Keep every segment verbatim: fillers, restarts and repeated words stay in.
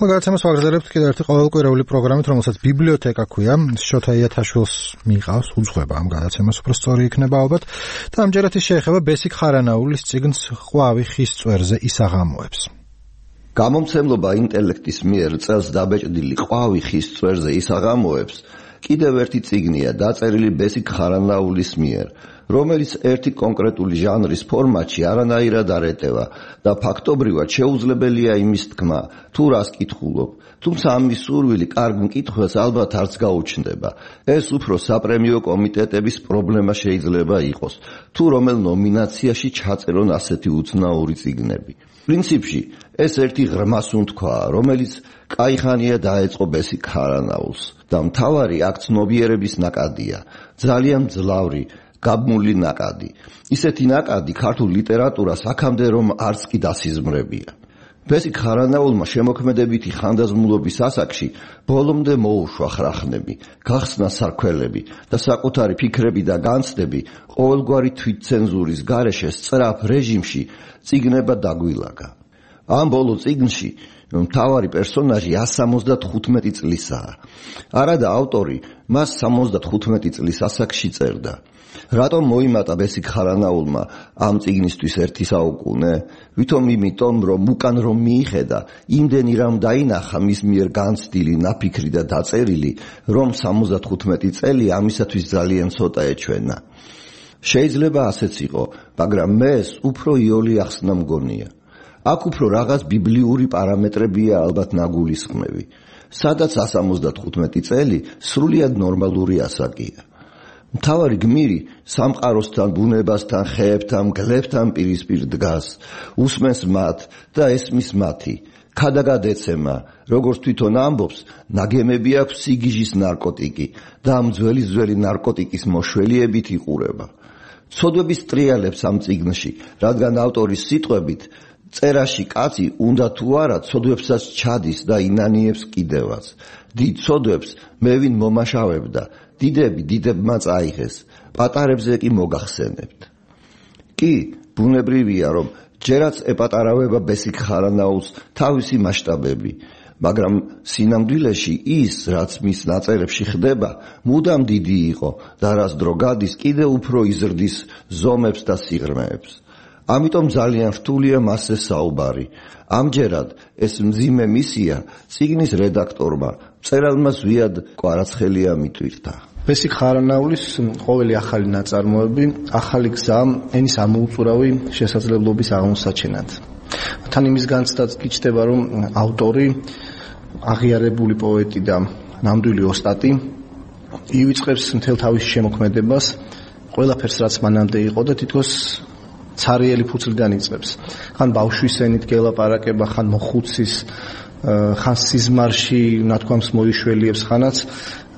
გადაცემას ვაგრძელებთ კიდევ ერთი ყოველკვირეული პროგრამით, რომელსაც ბიბლიოთეკა ქვია. შოთა იათაშვილს მიყავს უძღვება ამ გადაცემას, უფრო სწორი იქნება ალბათ. და ამჯერად ის შეეხება ბესიკ ხარანაულის წიგნს ყვავი ხის წვერზე ისაღამოებს. გამომცემლობა ინტელექტის მიერ წელს დაბეჭდილი ყვავი ხის წვერზე ისაღამოებს კიდევ ერთი წიგნია დაწერილი ბესიკ ხარანაულის მიერ, რომელიც ერთი კონკრეტული ჟანრის ფორმატში არანაირად არ ეტევა და ფაქტობრივად შეუძლებელია იმის თქმა, თუ რას კითხულობ. თუმცა ამის სურვილი კარგ მკითხველს ალბათ არც გაუჩნდება. ეს უფრო საპრემიო კომიტეტების პრობლემა შეიძლება იყოს, თუ რომელ ნომინაციაში ჩაწერონ ასეთი უცნაური წიგნები. პრინციპში ეს ერთი ღრმა სუნთქვაა, რომელიც კაიხანია დაეწყო ბესიკ ხარანაულს და მთავარი აქ ცნობიერების ნაკადია, ძალიან მძლავრი გაბმული ნაკადი. ისეთი ნაკადი ქართულ ლიტერატურას აქამდე რომ არც კი დასიზმრებია. ბესიკ ხარანაულმა შემოქმედებითი ხანდაზმულობის ასაკში ბოლომდე მოუშვა ხრახნები, გახსნა სარქველები და საკუთარი ფიქრები და განცდები ყოველგვარი თვითცენზურის გარეშე სწრაფ რეჟიმში წიგნება დაგვილაგა. ამ ბოლო წიგნში მთავარი პერსონაჟი სამოცდათხუთმეტი წლისაა. არადა ავტორი მას სამოცდათხუთმეტი წლის ასაკში წერდა. რატომ მოიმატა ბესიკ ხარანაულმა ამ წიგნისთვის ერთი საუკუნე? ვითომ იმიტომ, რომ უკან რომ მიიხედა, იმდენი რამ დაინახა მის მიერ განცდილი, ნაფიქრი და დაწერილი, რომ სამოცდათხუთმეტი წელი ამისათვის ძალიან ცოტა ეჩვენა. შეიძლება ასეც იყო, მაგრამ მეს უფრო იოლი ახსნა მგონია. აქ უფრო რაღაც ბიბლიური პარამეტრებია ალბათ ნაგულისხმები. სადაც სამოცდათხუთმეტი წელი სრულიად ნორმალური ასაკია. მთავარი გმირი სამყაროსთან, ბუნებასთან, ხეებთან, მგლებთან პირისპირ დგას, უსმენს მათ და ესმის მათი. ქადაგადეცემა, როგორც თვითონ ამბობს, ნაგემები აქვს სიგიჟის ნარკოტიკი და ამ ძველი ძველი ნარკოტიკის მოშველიებით იყურება. ცოდვების ტრიალებს ამ წიგნში, რადგან ავტორის სიტყვებით წერაში კაცი უნდა თუ არა ცოდვებსაც ჩადის და ინანიებს კიდევაც. დიდ ცოდვებს მე ვინ მომაშავებდა, დიდები დიდებმა წაიღეს, პატარებზე კი მოგახსენებთ. კი, ბუნებრივია, რომ ჯერაც ეპატარავება ბესიკ ხარანაულს თავისი მასშტაბები, მაგრამ სინამდვილეში ის, რაც მის ნაწერებში ხდება, მუდამ დიდი იყო და რას დრო გადის, კიდევ უფრო იზრდის ზომებს და სიღრმეებს. ამიტომ ძალიან რთულია მასზე საუბარი. ამჯერად ეს მძიმე მისია წიგნის რედაქტორმა, მწერალმა ზვიად კვარაცხელია მიტვირთა. ბესიკ ხარანაულის ყოველი ახალი ნაწარმოები, ახალი გზა ენის ამოუწურავი შესაძლებლობის აღმოსაჩენად. თან იმის განცდაც გიჩნდება, რომ ავტორი, აღიარებული პოეტი და ნამდვილი ოსტატი ივიწყებს მთელ თავის შემოქმედებას, ყველაფერს რაც მანამდე იყო და თითქოს ცარიელი ფუძლიდან იწყებს. ხან ბავშვის ენით გელაპარაკება, ხან მოხუცის, ხან სიზმარში ნათქვამს მოიშველიებს, ხანაც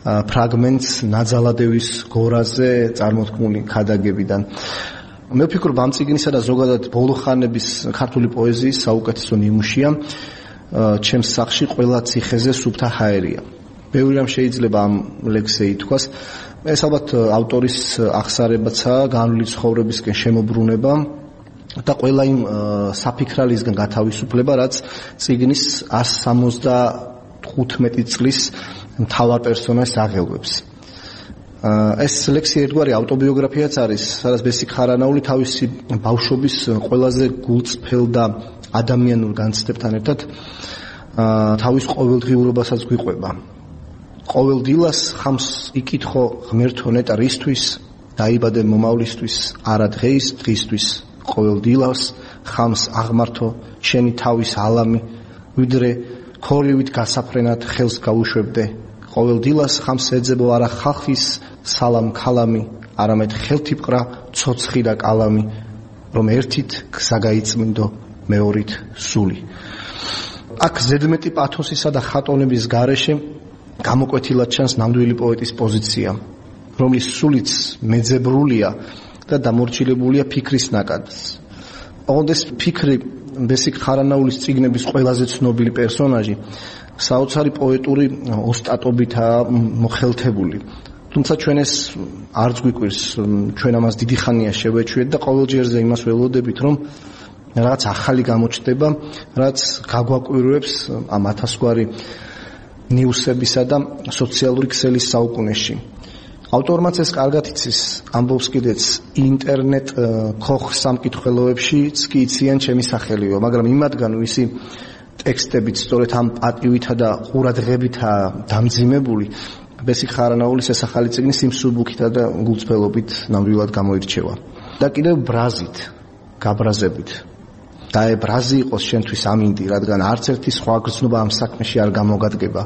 ფრაგმენტს ნაძალადევის გორაზე წარმოთქმული ქადაგებიდან. მე ვფიქრობ, ამ წიგნისა და ზოგადად ბოლო ხანების ქართული პოეზიის საუკეთესო ნიმუშია ჩემს სახლში ყველა ციხეზე სუფთა ჰაერია. ბევრი რამ შეიძლება ამ ლექსზე ითქვას. ეს ალბათ ავტორის აღსარებაცაა, განვლილი ცხოვრებისკენ შემოbrunება და ყველა იმ საფიქრალისგან გათავისუფლება, რაც წიგნის εκατს სამოცდათხუთმეტი წლის მთავარ პერსონაჟს აღელვებს. ეს ლექსი ერთგვარი ავტობიოგრაფიაც არის, სადაც ბესიკ ხარანაული თავისი ბავშვობის ყველაზე გულწრფელ და ადამიანურ განცდებთან ერთად თავის ყოველდღიურობასაც გვიყვება. ყოველ დილას ხამს იკითხო ღმერთო ნეტა რისთვის, დაიბადე მომავლისთვის, არა დღეის დღისთვის. ყოველ დილას ხამს აღმართო შენი თავის ალამი, ვიდრე ქორივით გასაფრენად ხელს გაუშვებდე. ყოველ დილას ხამს ეძებო არა ხალხის სალამ ქალამი, არამედ ხელთიპყრა ცოცხი და კალამი, რომ ერთით გზა გაიწმინდო, მეორით სული. აქ ზედმეტი პათოსისა და ხატონების გარეშე გამოკვეთილად ჩანს ნამდვილი პოეტის პოზიცია, რომლის სულიც მეძებრულია და დამორჩილებულია ფიქრის ნაკადს. ოღონდ ეს ფიქრი ბესიკ ხარანაულის წიგნების ყველაზე ცნობილი პერსონაჟი საოცარი პოეტური ოსტატობითაა მოხელთებული. თუმცა ჩვენ ეს არც გვიკვირს, ჩვენ ამას დიდი ხანია შევეჩვიეთ და ყოველ ჯერზე იმას ველოდებით, რომ რაღაც ახალი გამოჩნდება, რაც გაგვაკვირვებს ამ ათასგვარი ნიუსებისა და სოციალური ქსელის საუკუნეში. ავტორმაც ეს კარგად იცის, ამბობს კიდეც ინტერნეტ ქოხ სამკითხველოებშიც კი იციან ჩემი სახელიო, მაგრამ იმათგან ვისი ტექსტებით სწორედ ამ პატივითა და ყურადღებითა დამძიმებული ბესიკ ხარანაულის ეს ახალი წიგნი სიმსუბუქითა და გულწრფელობით ნამდვილად გამოირჩევა. და კიდევ ბრაზით, გაბრაზებით. და ე ბრაზი იყოს შენთვის ამინდი, რადგან არც ერთი სხვა გრძნობა ამ საქმეში არ გამოგადგება.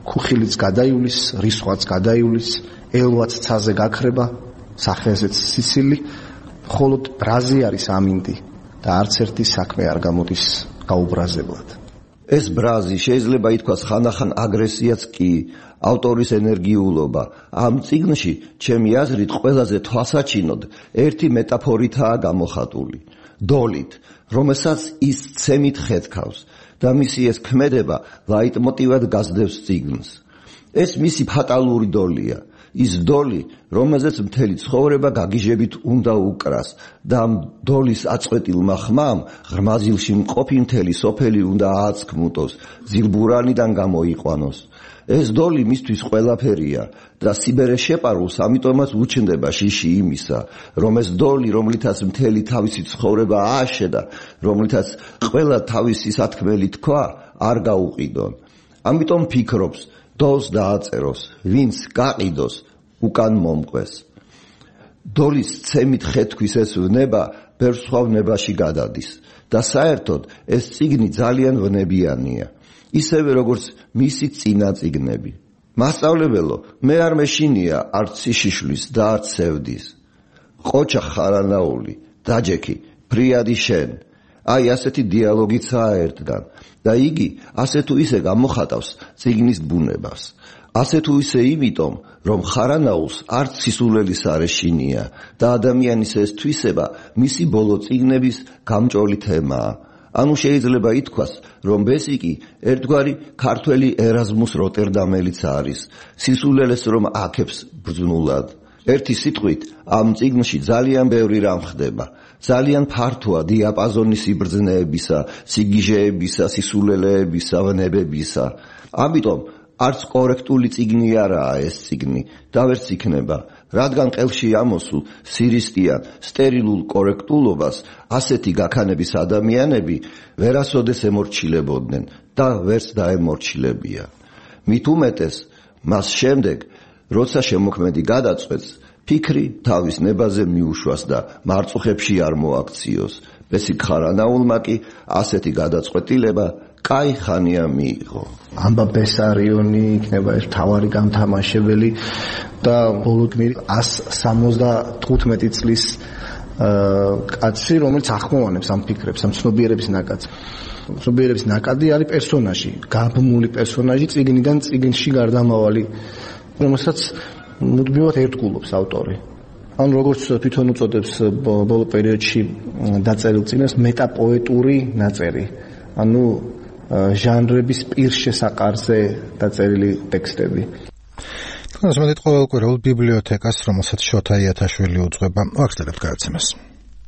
ქუხილიც გადაივლის, რისხვაც გადაივლის, ელვაც ცაზე გაქრება, სახეზეც სიცილი, მხოლოდ ბრაზი არის ამინდი და არც ერთი საქმე არ გამოდის გაუბრაზებლად. ეს ბრაზი შეიძლება ითქვას ხანდახან აგრესიაც კი, ავტორის ენერგიულობა. ამ წიგნში, ჩემი აზრით, ყველაზე თვალსაჩინოდ ერთი მეტაფორითაა გამოხატული. დოლით, რომელსაც ის ცემით ხეთქავს და მისი ეს ქმედება ლაიტმოტივად გასდევს წიგნს. ეს მისი ფატალური დოლია. ის დოლი, რომელზეც მთელი ცხოვრება გაგიჟებით უნდა უკრას და ამ დოლის აწყვეტილმა ხმამ ღრმაზილში მყოფი მთელი სოფელი უნდა ააცქმუტოს, ზილბურანიდან გამოიყვანოს. ეს დოლი მისთვის ყველაფერია და სიბერე შეპარულს ამიტომაც უჩნდება შიში იმისა, რომ ეს დოლი, რომლითაც მთელი თავისი ცხოვრება ააშედა, რომლითაც ყველა თავისი სათქმელი თქვა, არ გაუყიდონ. ამიტომ ფიქრობს, დოლს დააწეროს, ვინც გაყიდოს, უკან მომყვეს. დოლის ცემით ხეთქვის ეს ვნება ბევრ სხვა ვნებაში გადადის და საერთოდ ეს წიგნი ძალიან ვნებიანია, ისევე როგორც მისი წინა წიგნები. მასწავლებელო, მე არ მეშინია არც სიშიშვლის და არც სევდის. ყოჩა ხარანაული, დაჯექი, ფრიადი შენ. აი ასეთი დიალოგიცაა ერთგან და იგი ასე თუ ისე გამოხატავს წიგნის ბუნებას. ასე თუ ისე იმიტომ, რომ ხარანაულს არც სისულელის არ ეშინია და ადამიანის ეს თვისება მისი ბოლო წიგნების გამჭოლი თემაა. ანუ შეიძლება ითქვას, რომ ბესიკი ერთგვარი ქართველი ერაზმუს როტერდამელიც არის, სისულელეს რომ აქებს ბრძნულად. ერთი სიტყვით, ამ წიგნში ძალიან ბევრი რამ ხდება. ძალიან ფართოა დიაპაზონი სიბრძნეებისა, სიგიჟეებისა, სისულელეებისა, ვნებებისა. ამიტომ არც კორექტული წიგნი არაა ეს წიგნი და ვერც იქნება, რადგან ყელში ამოსულ სირისტიან, სტერილულ კორექტულობას ასეთი გაქანების ადამიანები ვერასოდეს ემორჩილებოდნენ და ვერც დაემორჩილებია. მით უმეტეს, მას შემდეგ, როცა შემოქმედი გადაწყვეტს, ფიქრი თავის ნებაზე მიუშვას და მარწუხებში არ მოაქციოს. ბესიკ ხარანაულმა კი ასეთი გადაწყვეტილება კაი ხანია მიიღო. ამბა ბესარიონი იქნება ეს მთავარი გამთამაშებელი და ბოლო გმირი ას სამოცდათხუთმეტი წლის კაცი, რომელიც ახმოვანებს ამ ფიქრებს, ამ ცნობიერების ნაკადს. ცნობიერების ნაკადი არის პერსონაჟი, გაბმული პერსონაჟი წიგნიდან წიგნში გარდამავალი, რომელსაც მუდმივად ერთგულობს ავტორი. ან როგორც თვითონ უწოდებს ბოლო პერიოდში დაწერილ წიგნს მეტაპოეტური ნაწერი. ანუ ჟანრების პირშესაყარზე დაწერილი ტექსტები. თქვენს მეტად ყოველკვირეულ ბიბლიოთეკას, რომელსაც შოთა იათაშვილი უძღვება, ვახსენებთ გადაცემას.